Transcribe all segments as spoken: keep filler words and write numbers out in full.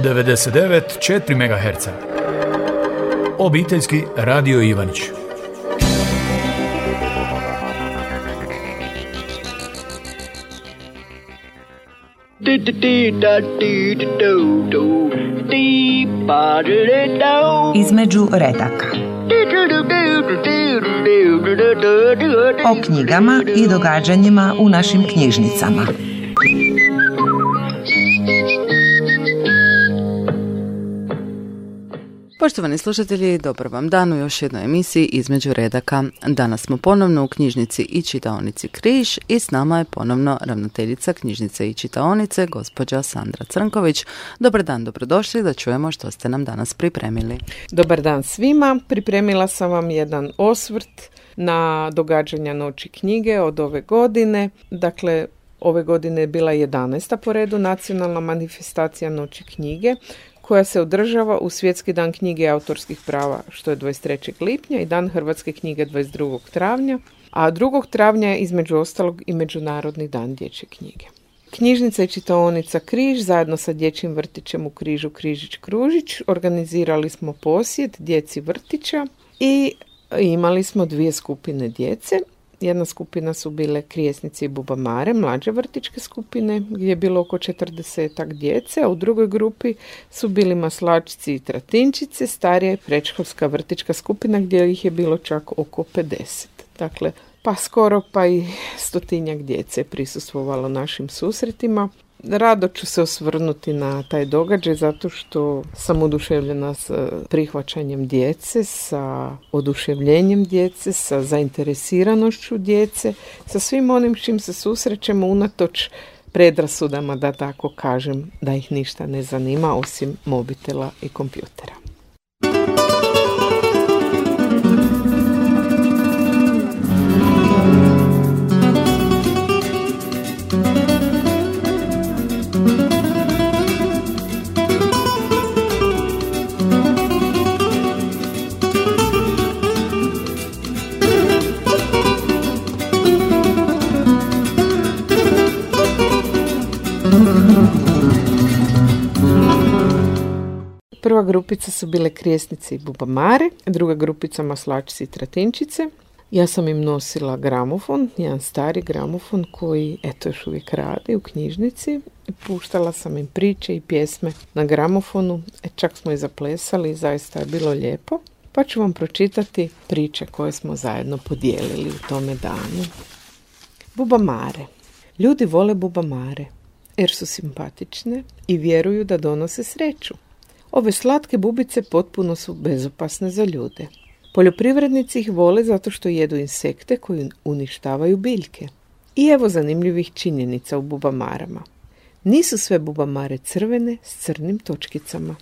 devedeset devet zarez četiri megaherca. Obiteljski radio Ivanić. Između redaka. O knjigama i događanjima u našim knjižnicama. Poštovani slušatelji, dobar vam dan u još jednoj emisiji Između redaka. Danas smo ponovno u knjižnici i čitaonici Križ i s nama je ponovno ravnateljica knjižnice i čitaonice, gospođa Sandra Crnković. Dobar dan, dobrodošli, da čujemo što ste nam danas pripremili. Dobar dan svima, pripremila sam vam jedan osvrt na događanja Noći knjige od ove godine. Dakle, ove godine je bila jedanaesta po redu nacionalna manifestacija Noći knjige, koja se održava u Svjetski dan knjige i autorskih prava, što je dvadeset trećeg lipnja, i Dan hrvatske knjige dvadeset drugog travnja, a drugog travnja je između ostalog i Međunarodni dan dječje knjige. Knjižnica i čitaonica Križ zajedno sa dječjim vrtićem u Križu Križić Kružić organizirali smo posjet djeci vrtića i imali smo dvije skupine djece. Jedna skupina su bile Krijesnici i Bubamare, mlađe vrtićke skupine, gdje je bilo oko četrdesetak djece, a u drugoj grupi su bili Maslačci i Tratinčice, starija i predškolska vrtićka skupina, gdje ih je bilo čak oko pedeset. Dakle, pa skoro pa i stotinjak djece je prisustvovalo našim susretima. Rado ću se osvrnuti na taj događaj zato što sam oduševljena s prihvaćanjem djece, sa oduševljenjem djece, sa zainteresiranošću djece, sa svim onim s čim se susrećemo unatoč predrasudama, da tako kažem, da ih ništa ne zanima osim mobitela i kompjutera. Prva grupica su bile Krijesnici i Bubamare, druga grupica Maslačci i Tratinčice. Ja sam im nosila gramofon, jedan stari gramofon koji, eto, još uvijek radi u knjižnici. Puštala sam im priče i pjesme na gramofonu, e, čak smo i zaplesali i zaista je bilo lijepo. Pa ću vam pročitati priče koje smo zajedno podijelili u tome danu. Bubamare. Ljudi vole bubamare jer su simpatične i vjeruju da donose sreću. Ove slatke bubice potpuno su bezopasne za ljude. Poljoprivrednici ih vole zato što jedu insekte koji uništavaju biljke. I evo zanimljivih činjenica u bubamarama. Nisu sve bubamare crvene s crnim točkicama.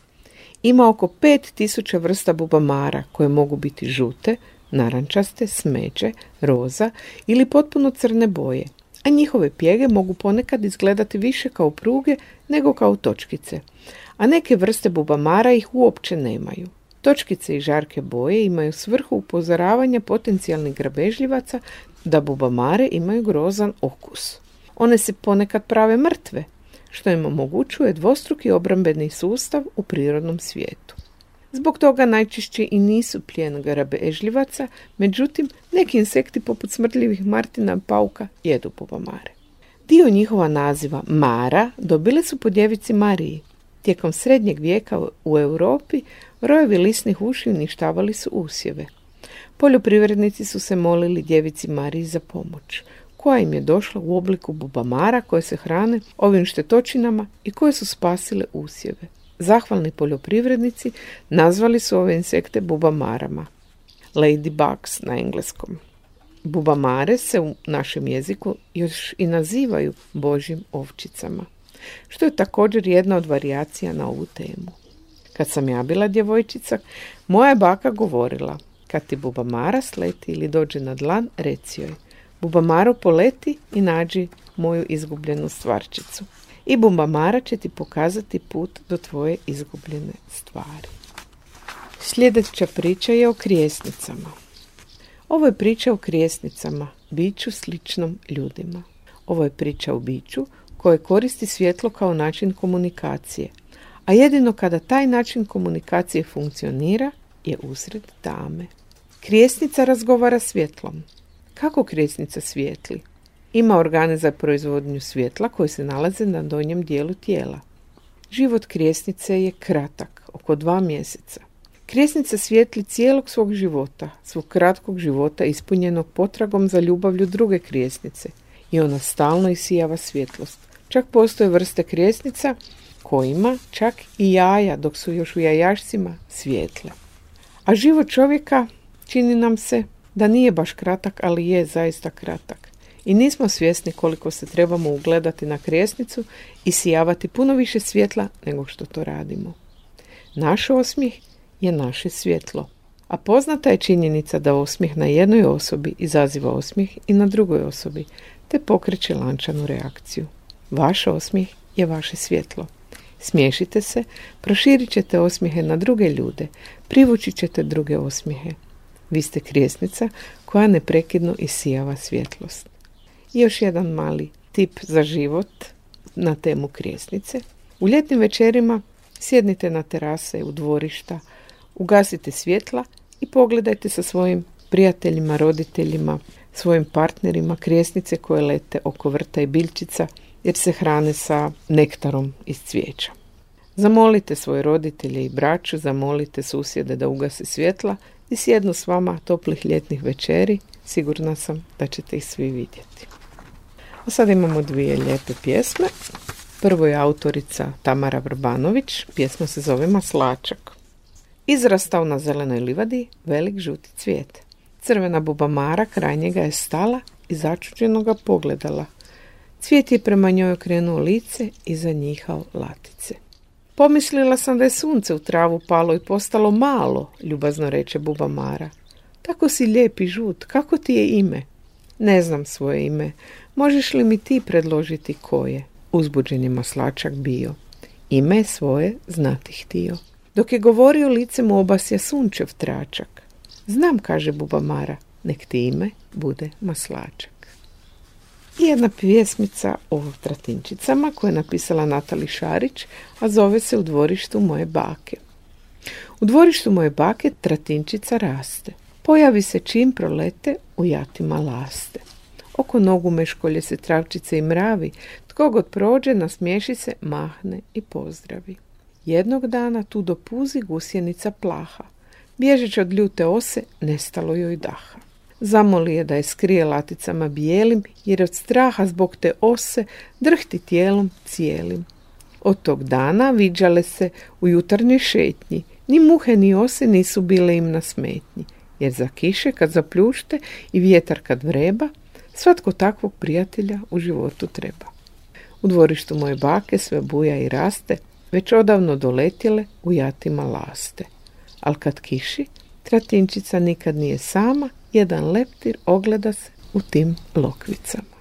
Ima oko pet tisuća vrsta bubamara koje mogu biti žute, narančaste, smeđe, roza ili potpuno crne boje, a njihove pjege mogu ponekad izgledati više kao pruge nego kao točkice, a neke vrste bubamara ih uopće nemaju. Točkice i žarke boje imaju svrhu upozoravanja potencijalnih grabežljivaca da bubamare imaju grozan okus. One se ponekad prave mrtve, što im omogućuje dvostruki obrambeni sustav u prirodnom svijetu. Zbog toga najčešće i nisu plijen grabežljivaca, međutim neki insekti poput smrdljivih martina i pauka jedu bubamare. Dio njihova naziva mara dobile su po djevici Mariji. Tijekom srednjeg vijeka u Europi rojevi lisnih uši uništavali su usjeve. Poljoprivrednici su se molili djevici Mariji za pomoć, koja im je došla u obliku bubamara koje se hrane ovim štetočinama i koje su spasile usjeve. Zahvalni poljoprivrednici nazvali su ove insekte bubamarama. Ladybugs na engleskom. Bubamare se u našem jeziku još i nazivaju božjim ovčicama, što je također jedna od varijacija na ovu temu. Kad sam ja bila djevojčica, moja je baka govorila: kad ti bubamara sleti ili dođe na dlan, reci joj: bubamaro poleti i nađi moju izgubljenu stvarčicu. I bubamara će ti pokazati put do tvoje izgubljene stvari. Sljedeća priča je o krijesnicama. Ovo je priča o krijesnicama, biću sličnom ljudima. Ovo je priča o biću koje koristi svjetlo kao način komunikacije, A jedino kada taj način komunikacije funkcionira je usred tame. Krijesnica razgovara svjetlom. Kako krijesnica svijetli? Ima organe za proizvodnju svjetla koji se nalaze na donjem dijelu tijela. Život krijesnice je kratak, oko dva mjeseca. Krijesnica svijetli cijelog svog života, svog kratkog života ispunjenog potragom za ljubavlju druge krijesnice i ona stalno isijava svjetlost. Čak postoje vrste krijesnica kojima čak i jaja dok su još u jajašcima svijetle. A život čovjeka čini nam se da nije baš kratak, ali je zaista kratak. I nismo svjesni koliko se trebamo ugledati na krijesnicu i sijavati puno više svjetla nego što to radimo. Naš osmijeh je naše svjetlo. A poznata je činjenica da osmijeh na jednoj osobi izaziva osmijeh i na drugoj osobi, te pokreće lančanu reakciju. Vaš osmijeh je vaše svjetlo. Smiješite se, proširit ćete osmijehe na druge ljude, privući ćete druge osmijehe. Vi ste krijesnica koja neprekidno isijava svjetlost. I još jedan mali tip za život na temu krijesnice. U ljetnim večerima sjednite na terase, u dvorišta, ugasite svjetla i pogledajte sa svojim prijateljima, roditeljima, svojim partnerima krijesnice koje lete oko vrta i biljčica jer se hrane sa nektarom iz cvijeća. Zamolite svoje roditelje i braću, zamolite susjede da ugase svjetla i sjednu s vama toplih ljetnih večeri. Sigurna sam da ćete ih svi vidjeti. A sad imamo dvije lijepe pjesme. Prvo je autorica Tamara Vrbanović, pjesma se zove Maslačak. Izrastao na zelenoj livadi velik žuti cvijet. Crvena bubamara kraj njega je stala i začuđeno ga pogledala. Cvijet je prema njoj okrenuo lice i zanjihao latice. Pomislila sam da je sunce u travu palo i postalo malo, ljubazno reče bubamara. Tako si lijep i žut, kako ti je ime? Ne znam svoje ime, možeš li mi ti predložiti koje? Uzbuđen je maslačak bio. Ime svoje znati htio. Dok je govorio, lice mu obasja sunčev tračak. Znam, kaže bubamara, nek ti ime bude Maslačak. I jedna pjesmica o tratinčicama koju je napisala Natali Šarić, a zove se U dvorištu moje bake. U dvorištu moje bake tratinčica raste. Pojavi se čim prolete, u jatima laste. Oko nogu meškolje se travčice i mravi, tko god prođe nasmiješi se, mahne i pozdravi. Jednog dana tu dopuzi gusjenica plaha. Bježeći od ljute ose, nestalo joj daha. Zamoli je da je skrije laticama bijelim, jer od straha zbog te ose drhti tijelom cijelim. Od tog dana viđale se u jutarnjoj šetnji. Ni muhe ni ose nisu bile im na smetnji, jer za kiše kad zapljušte i vjetar kad vreba, svatko takvog prijatelja u životu treba. U dvorištu moje bake sve buja i raste, već odavno doletjele u jatima laste. Al kad kiši, tratinčica nikad nije sama, jedan leptir ogleda se u tim lokvicama.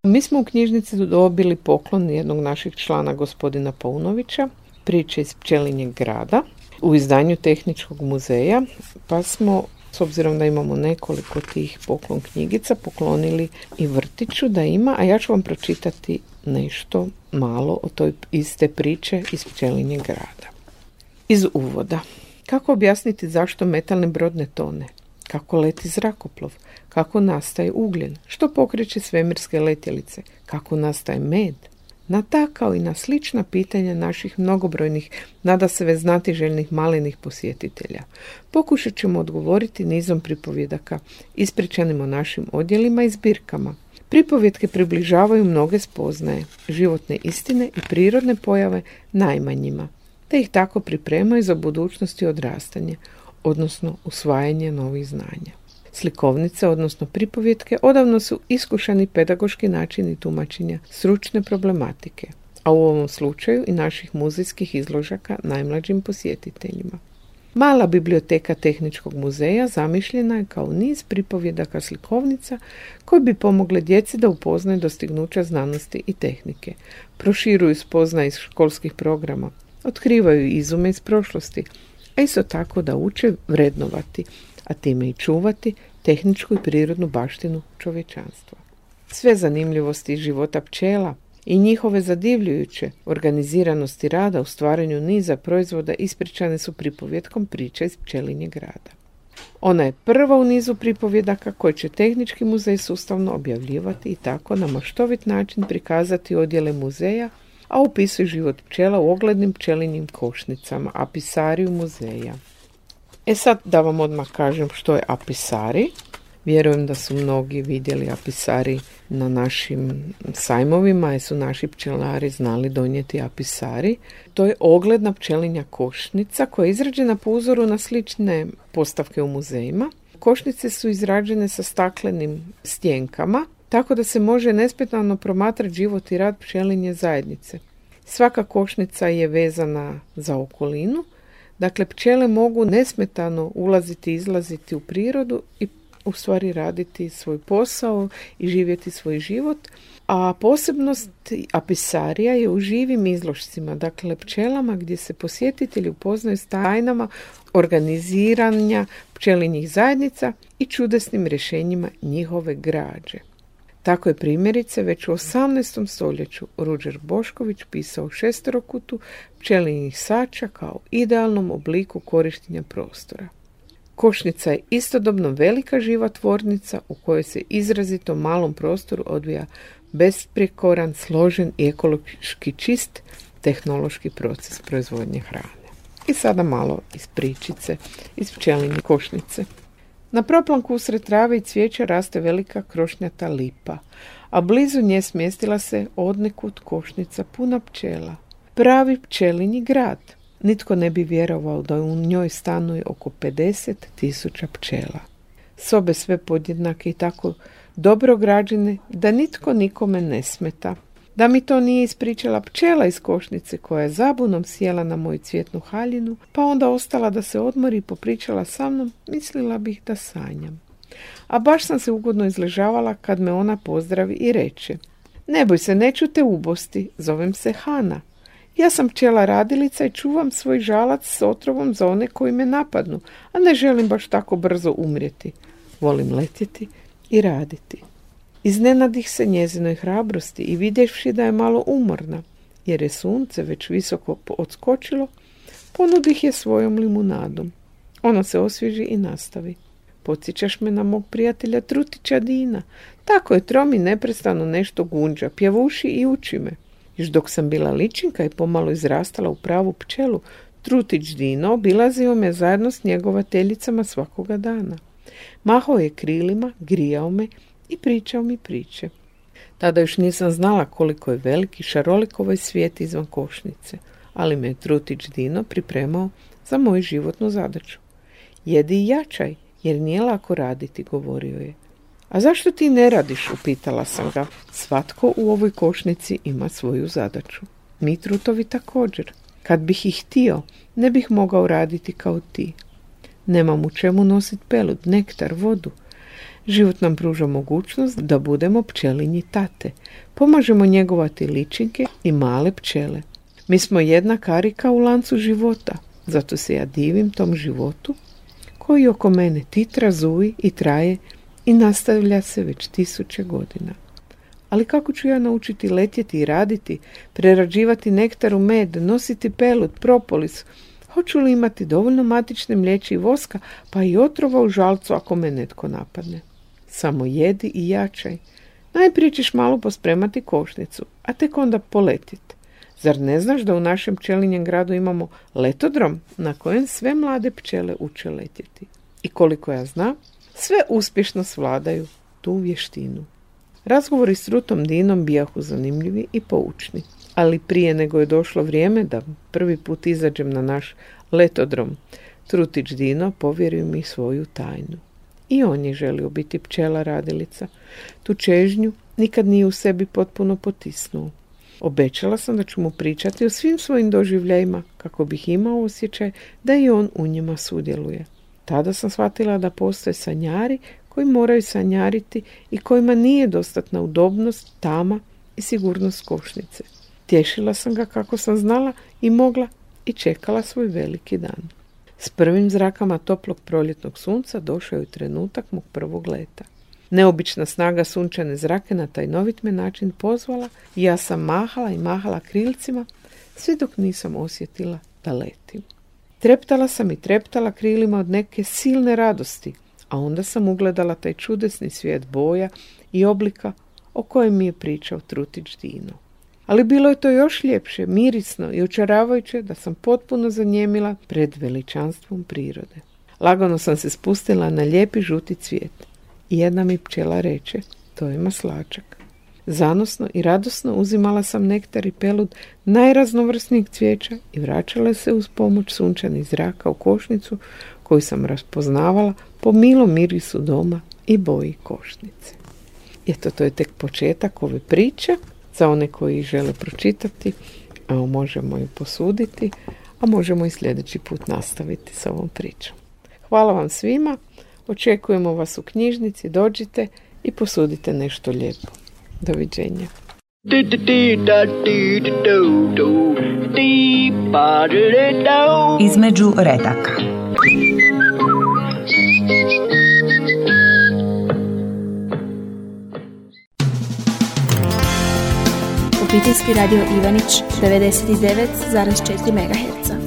Mi smo u knjižnici dobili poklon jednog naših člana, gospodina Paunovića, priče iz Pčelinjeg grada, u izdanju Tehničkog muzeja, pa smo, s obzirom da imamo nekoliko tih poklon knjigica, poklonili i vrtiću da ima, a ja ću vam pročitati nešto malo o toj iste priče iz Pčelinjeg grada. Iz uvoda. Kako objasniti zašto metalni brod ne tone? Kako leti zrakoplov? Kako nastaje ugljen? Što pokreće svemirske letjelice? Kako nastaje med? Na ta kao i na slična pitanja naših mnogobrojnih, nadasve znatiželjnih malenih posjetitelja pokušat ćemo odgovoriti nizom pripovjedaka, ispričanim o našim odjelima i zbirkama. Pripovjetke približavaju mnoge spoznaje, životne istine i prirodne pojave najmanjima, te ih tako pripremaju za budućnost i odrastanje, odnosno usvajanje novih znanja. Slikovnice, odnosno pripovjetke, odavno su iskušani pedagoški načini tumačenja stručne problematike, a u ovom slučaju i naših muzejskih izložaka najmlađim posjetiteljima. Mala biblioteka Tehničkog muzeja zamišljena je kao niz pripovjedaka slikovnica koji bi pomogle djeci da upoznaju dostignuća znanosti i tehnike, proširuju spoznaje iz školskih programa, otkrivaju izume iz prošlosti, a isto tako da uče vrednovati, a time i čuvati tehničku i prirodnu baštinu čovječanstva. Sve zanimljivosti života pčela i njihove zadivljujuće organiziranosti rada u stvaranju niza proizvoda ispričane su pripovjetkom Priča iz pčelinjeg rada. Ona je prva u nizu pripovjedaka koje će Tehnički muzej sustavno objavljivati i tako na maštovit način prikazati odjele muzeja, a opisuje život pčela u oglednim pčelinjim košnicama, apisariju muzeja. E sad da vam odmah kažem što je apisari. Vjerujem da su mnogi vidjeli apisari na našim sajmovima, jer su naši pčelari znali donijeti apisari. To je ogledna pčelinja košnica koja je izrađena po uzoru na slične postavke u muzejima. Košnice su izrađene sa staklenim stjenkama, tako da se može nesmetano promatrati život i rad pčelinje zajednice. Svaka košnica je vezana za okolinu, dakle pčele mogu nesmetano ulaziti i izlaziti u prirodu i u stvari raditi svoj posao i živjeti svoj život, a posebnost apisarija je u živim izložcima, dakle pčelama gdje se posjetitelji upoznaju s tajnama organiziranja pčelinjih zajednica i čudesnim rješenjima njihove građe. Tako je primjerice već u osamnaestom stoljeću Ruđer Bošković pisao šesterokutu pčelinjih sača kao idealnom obliku korištenja prostora. Košnica je istodobno velika živa tvornica u kojoj se izrazito malom prostoru odvija besprijekoran, složen i ekološki čist tehnološki proces proizvodnje hrane. I sada malo iz pričice, iz pčelinje košnice. Na proplanku usred trave i cvijeća raste velika krošnjata lipa, a blizu nje smjestila se odnekud košnica puna pčela. Pravi pčelinji grad. Nitko ne bi vjerovao da u njoj stanuje oko pedeset tisuća pčela. Sobe sve podjednake i tako dobro građene da nitko nikome ne smeta. Da mi to nije ispričala pčela iz košnice koja je zabunom sjela na moju cvjetnu haljinu, pa onda ostala da se odmori i popričala sa mnom, mislila bih da sanjam. A baš sam se ugodno izležavala kad me ona pozdravi i reče: ne boj se, neću te ubosti, zovem se Hana. Ja sam pčela radilica i čuvam svoj žalac s otrovom za one koji me napadnu, a ne želim baš tako brzo umrijeti. Volim letjeti i raditi. Iznenadih se njezinoj hrabrosti i vidjevši da je malo umorna, jer je sunce već visoko odskočilo, ponudih je svojom limunadom. Ona se osvježi i nastavi. Podsjećaš me na mog prijatelja Trutića Dina. Tako je trom i neprestano nešto gunđa, pjevuši i uči me. Još dok sam bila ličinka i pomalo izrastala u pravu pčelu, Trutić Dino obilazio me zajedno s njegovateljicama svakoga dana. Mahao je krilima, grijao me i pričao mi priče. Tada još nisam znala koliko je veliki šarolik ovaj svijet izvan košnice, ali me je Trutić Dino pripremao za moju životnu zadaću. Jedi i jačaj, jer nije lako raditi, govorio je. A zašto ti ne radiš, upitala sam ga. Svatko u ovoj košnici ima svoju zadaću. Mi trutovi također. Kad bih ih htio, ne bih mogao raditi kao ti. Nemam u čemu nositi pelud, nektar, vodu. Život nam pruža mogućnost da budemo pčelinji tate. Pomažemo njegovati ličinke i male pčele. Mi smo jedna karika u lancu života, zato se ja divim tom životu koji oko mene titra, zuji i traje i nastavlja se već tisuće godina. Ali kako ću ja naučiti letjeti i raditi, prerađivati nektar u med, nositi pelud, propolis? Hoću li imati dovoljno matične mliječi i voska, pa i otrova u žalcu ako me netko napadne? Samo jedi i jačaj. Najprije ćeš malo pospremati košnicu, a tek onda poletiti. Zar ne znaš da u našem pčelinjem gradu imamo letodrom na kojem sve mlade pčele uče letjeti? I koliko ja znam, sve uspješno svladaju tu vještinu. Razgovori s Trutom Dinom bijahu zanimljivi i poučni, ali prije nego je došlo vrijeme da prvi put izađem na naš letodrom, Trutić Dino povjerio mi svoju tajnu. I on je želio biti pčela radilica. Tu čežnju nikad nije u sebi potpuno potisnuo. Obećala sam da ću mu pričati o svim svojim doživljajima kako bih imao osjećaj da i on u njima sudjeluje. Tada sam shvatila da postoje sanjari koji moraju sanjariti i kojima nije dostatna udobnost, tama i sigurnost košnice. Tješila sam ga kako sam znala i mogla i čekala svoj veliki dan. S prvim zrakama toplog proljetnog sunca došao je trenutak mog prvog leta. Neobična snaga sunčane zrake na tajnovit me način pozvala i ja sam mahala i mahala krilcima sve dok nisam osjetila da letim. Treptala sam i treptala krilima od neke silne radosti, a onda sam ugledala taj čudesni svijet boja i oblika o kojem mi je pričao Trutić Dino. Ali bilo je to još ljepše, mirisno i očaravajuće da sam potpuno zanjemila pred veličanstvom prirode. Lagano sam se spustila na lijepi žuti cvijet i jedna mi pčela reče, to je maslačak. Zanosno i radosno uzimala sam nektar i pelud najraznovrsnijeg cvijeća i vraćala se uz pomoć sunčanih zraka u košnicu koju sam raspoznavala po milom mirisu doma i boji košnice. Eto, to je tek početak ove priče. Za one koji žele pročitati, a možemo ju posuditi, a možemo i sljedeći put nastaviti s ovom pričom. Hvala vam svima, očekujemo vas u knjižnici, dođite i posudite nešto lijepo. Doviđenja. Između redaka. Obiteljski radio Ivanić devedeset devet zarez četiri megaherca.